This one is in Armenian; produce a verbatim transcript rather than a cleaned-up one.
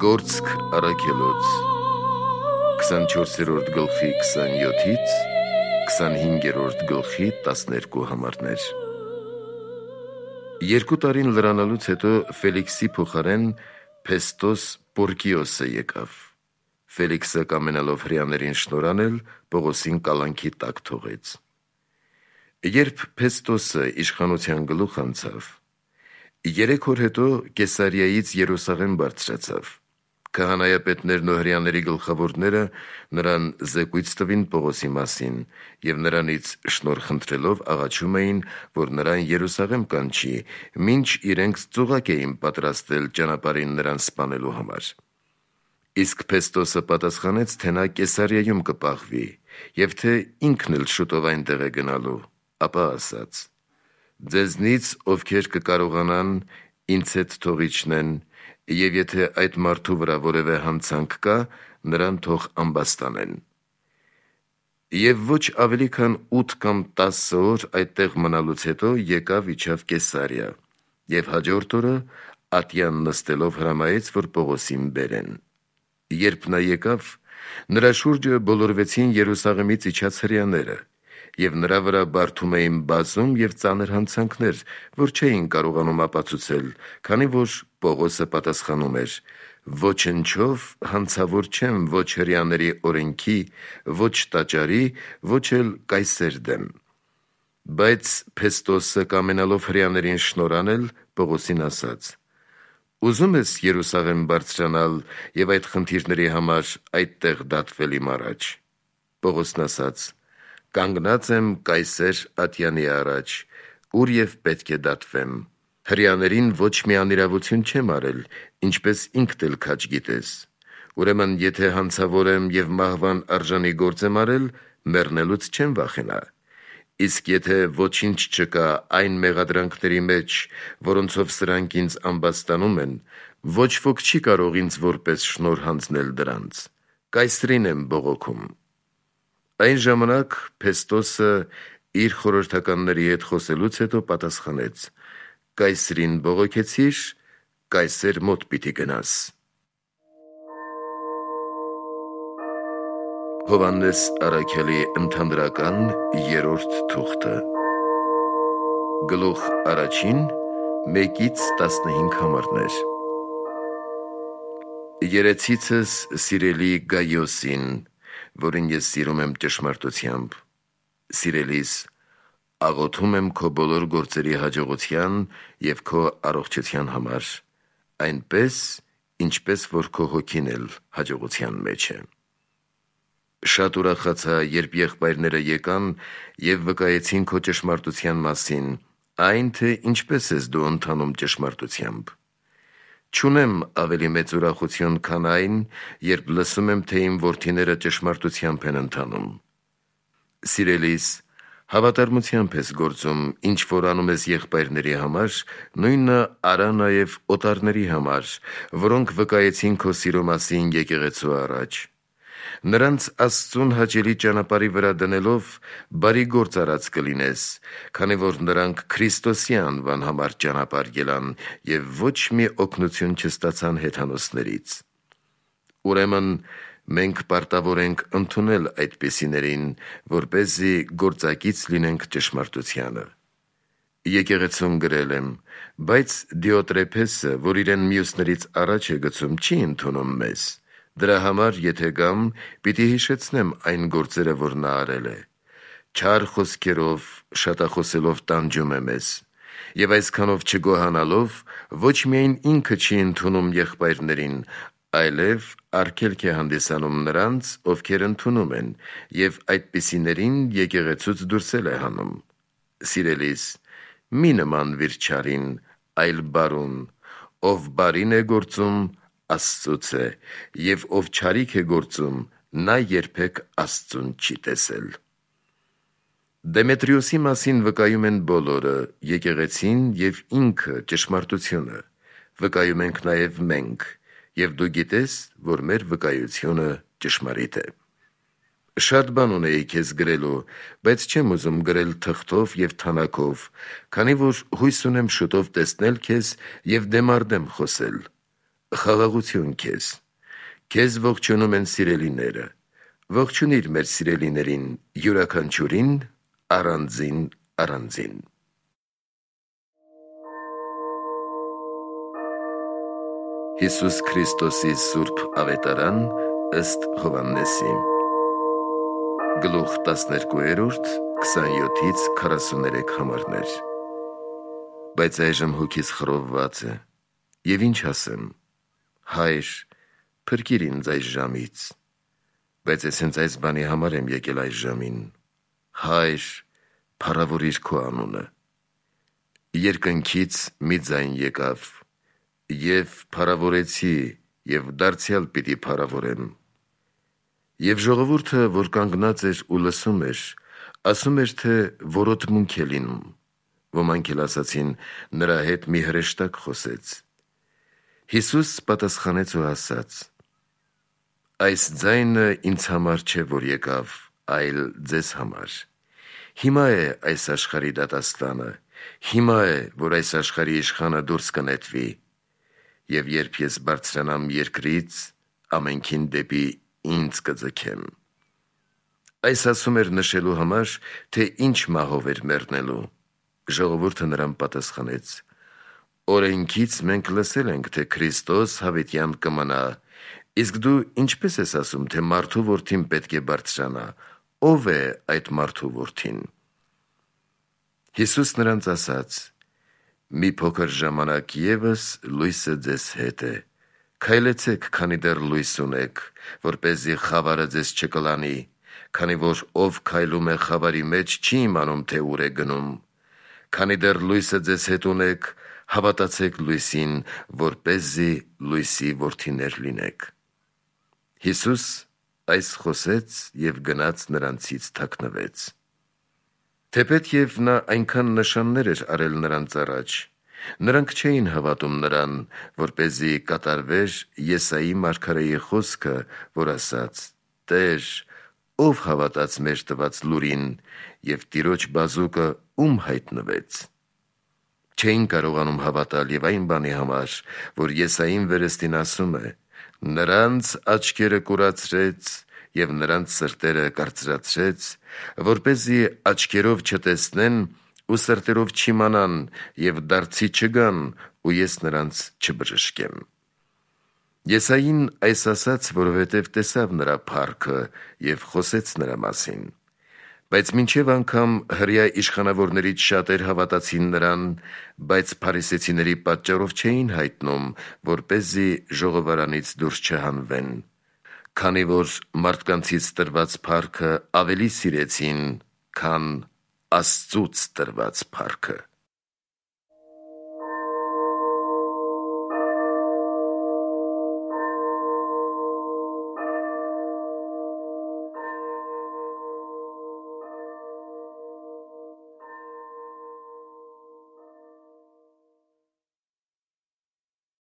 Գործք առաքելոց քսանչորսերորդ գլխի քսանյոթից քսանհինգերորդ գլխի տասներկու համարներ։ Երկու տարին լրանալուց հետո Ֆելիքսի փոխարեն Փեստոս Պորկիոսը եկավ։ Ֆելիքսը կամենալով հրեաներին շնորհանել, Պողոսին կալանքի տակ թողեց։ Երբ Փեստոսը իշխանության գլուխ անցավ, երեք օր հետո Կեսարիայից Երուսաղեմ բարձրացավ։ Քահանայապետներն ու հրեաների գլխավորները նրան զեկույց տվին Պողոսի մասին և նրանից շնորհ խնդրելով աղաչում էին, որ նրան Երուսաղեմ կանչի, մինչ իրենք ծուղակ էին պատրաստել ճանապարհին նրան սպանելու համար։ Իսկ Փեստոսը պատասխանեց, թե նա Կեսարիայում կպահվի, և թե ինքն էլ շուտով այնտեղ է գնալու, ապա ասաց. «Ձեզնից ովքեր կկարողանան, ինձ հետ թող իջնեն, և եթե այդ մարդու վրա որևէ հանցանք կա, նրան թող ամբաստանեն»։ Եվ ոչ ավելի քան ութ կամ տասը օր այդտեղ մնալուց հետո եկավ իջավ Կեսարիա, և հաջորդ օրը ատյան նստելով հրամայեց, որ Պողոսին բերեն։ Երբ նա եկավ, նրա շուրջը բոլորվեցին Երուսաղեմից իջած հրեաները, և նրա վրա բարդում էին բազում և ծանր հանցանքներ, որ չէին կարողանում ապացուցել, քանի որ Պողոսը պատասխանում էր. «Ոչնչով հանցավոր չեմ ոչ հրեաների օրենքի, ոչ տաճարի, ոչ էլ Կայսեր դեմ»։ Բայց Փեստոսը կամենալով հրեաներին շնորհանել, Պողոսին ասաց. «Ուզո՞ւմ ես Երուսաղեմ բարձրանալ և այդ խնդիրների համար այդտեղ դատվել իմ առաջ»։ Պողոսն ասաց. «Կանգնած եմ Կայսեր ատյանի առաջ, ուր և պետք է դատվեմ։ Հրեաներին ոչ մի անիրավություն չեմ արել, ինչպես ինքդ էլ քաջ գիտես։ Ուրեմն եթե հանցավոր եմ և մահվան արժանի գործ եմ արել, մեռնելուց չեմ վախենա։ Իսկ եթե ոչինչ չկա այն մեղադրանքների մեջ, որոնցով սրանք ինձ ամբաստանում են, ոչ ոք չի կարող ինձ որպես շնորհ հանձնել դրանց։ Կայսրին եմ բողոքում»։ Այն ժամանակ Փեստոսը իր խորհրդականների հետ խոսելուց հետո պատասխանեց. «Կայսրին բողոքեցիր, Կայսեր մոտ պիտի գնաս»։ Հովհաննես առաքյալի ընդհանրական երրորդ թուղթը Գլուխ առաջին մեկից տասնհինգ համարներ։ Երեցիցս սիրելի Գայոսին, որին ես սիրում եմ ճշմարտությամբ, սիրելիս, աղոթում եմ քո բոլոր գործերի հաջողության և քո առողջության համար, այնպես, ինչպես որ քո հոգին էլ հաջողության մեջ է։ Շատ ուրախացա, երբ եղբայրները եկան և վկայեցին քո ճշմարտության մասին, այն, թե ինչպես ես դու ընթանում ճշմարտությամբ։ Չունեմ ավելի մեծ ուրախություն, քան այն, երբ լսում եմ, թե իմ որդիները ճշմարտությամբ են ընթանում։ Սիրելիս, հավատարմությամբ ես գործում, ինչ որ անում ես եղբայրների համար, նույնը արա նաև օտարների համար, որոնք վկայեցին քո սիրո մասին եկեղեցու առաջ։ Նրանց Աստծուն հաճելի ճանապարհի վրա դնելով, բարի գործ արած կլինես, քանի որ նրանք Քրիստոսի անվան համար ճանապարհ ելան և ոչ մի օգնություն չստացան հեթանոսներից։ Ուրեմն մենք պարտավոր ենք ընդունել այդպիսիներին, որպեսզի գործակից լինենք ճշմարտությանը։ Եկեղեցուն գրել եմ, բայց Դիոտրեփեսը, որ իրեն մյուսներից առաջ է գցում, չի ընդունում մեզ։ Դրա համար, եթե գամ, պիտի հիշեցնեմ այն գործերը, որ նա արել է։ Չար խոսքերով, շատախոսելով տանջում է մեզ, և այսքանով չգոհանալով, ոչ միայն ինքը չի ընդունում եղբայրներին, այլև արգելք է հանդիսանում նրանց, ովքեր ընդունում են, և այդպիսիներին եկեղեցուց դուրս է հանում։ Սիրելիս, մի նմանվիր չարին, այլ բարուն, ով բարին է գործում, Աստծուց է, և ով չարիք է գործում, նա երբեք Աստծուն չի տեսել։ Դեմետրիոսի մասին վկայում են բոլորը, եկեղեցին և ինքը ճշմարտությունը, վկայում ենք նաև մենք, և դու գիտես, որ մեր վկայությունը ճշմարիտ է։ Շատ բան ունեի քեզ գրելու, բայց չեմ ուզում գրել թղթով և թանակով, քանի որ հույս ունեմ շուտով տեսնել քեզ և դեմառդեմ խոսել։ Խաղաղություն քեզ։ Քեզ ողջունում են սիրելիները։ Ողջունիր մեր սիրելիներին, յուրաքանչյուրին առանձին առանձին։ Հիսուս Քրիստոսի Սուրբ Ավետարան ըստ Հովհաննեսի։ Գլուխ տասներկու, քսանյոթից քառասուներեք համարներ։ Բայց այժմ հոգիս խռովված է, և ինչ ասեմ. Հայր, փրկիր ինձ այս ժամից, բայց ես հենց այս բանի համար եմ եկել այս ժամին։ Հայր, փառավորիր քո անունը։ Երկնքից մի ձայն եկավ, և փառավորեցի, և դարձյալ պիտի փառավորեմ։ Եվ ժողովուրդը, որ կանգնած էր ու լսում էր, ասում էր, թե որոտմունք է լինում։ Ոմանք էլ ասացին, նրա հետ մի հրեշտակ խոսեց։ Հիսուս պատասխանեց ու ասաց. այս ձայնը ինձ համար չէ, որ եկավ, այլ ձեզ համար։ Հիմա է այս աշխարհի դատաստանը, հիմա է, որ այս աշխարհի իշխանը դուրս կնետվի, և երբ ես բարձրանամ երկրից, ամենքին դեպի ինձ կձգեմ։ Այս ասում էր նշելու համար, թե ինչ մահով էր մեռնելու։ Ժողովուրդը նրան պատասխանեց. օրենքից մենք լսել ենք, թե Քրիստոս հավիտյան կմնա, իսկ դու ինչպես ես ասում, թե մարդու որդին պետք է բարձրանա, ո՞վ է այդ մարդու որդին։ Հիսուս նրանց ասաց. մի փոքր ժամանակ ևս լույսը ձեզ հետ է, քայլեցեք, քանի դեռ լույս ունեք, որպեսզի խավարը ձեզ չկլանի, քանի որ ով քայլում է խավարի մեջ, չի իմանում, թե ուր է գնում։ Քանի դեռ լույսը ձեզ հետ ունեք, հավատացեք լույսին, որպեսզի լույսի որդիներ լինեք։ Հիսուս այս խոսեց և գնաց նրանցից թաքնվեց։ Թեպետ և նա այնքան նշաններ էր արել նրանց առաջ, նրանք չէին հավատում նրան, որպեսզի կատարվեր Եսայի մարգարեի խոսքը, որ ասաց. «Տեր, ով հավատաց մեր տված լուրին, և Տիրոջ բազուկը ում հայտնվեց»։ Չէին կարողանում հավատալ և այն բանի համար, որ Եսային վերստին ասում է. «Նրանց աչքերը կուրացրեց և նրանց սրտերը կարծրացրեց, որպեսզի աչքերով չտեսնեն ու սրտերով չիմանան և դարձի չգան, ու ես նրանց չբժշկեմ»։ Եսային այս ասաց, որովհետև տեսավ նրա փառքը և խոսեց նրա մասին։ Բայց մինչև անգամ հրեա իշխանավորներից շատեր հավատացին նրան, բայց փարիսեցիների պատճառով չէին հայտնում, որպեսզի ժողովարանից դուրս չհանվեն, քանի որ մարդկանցից տրված փառքը ավելի սիրեցին, քան Աստծուց տրված փառքը։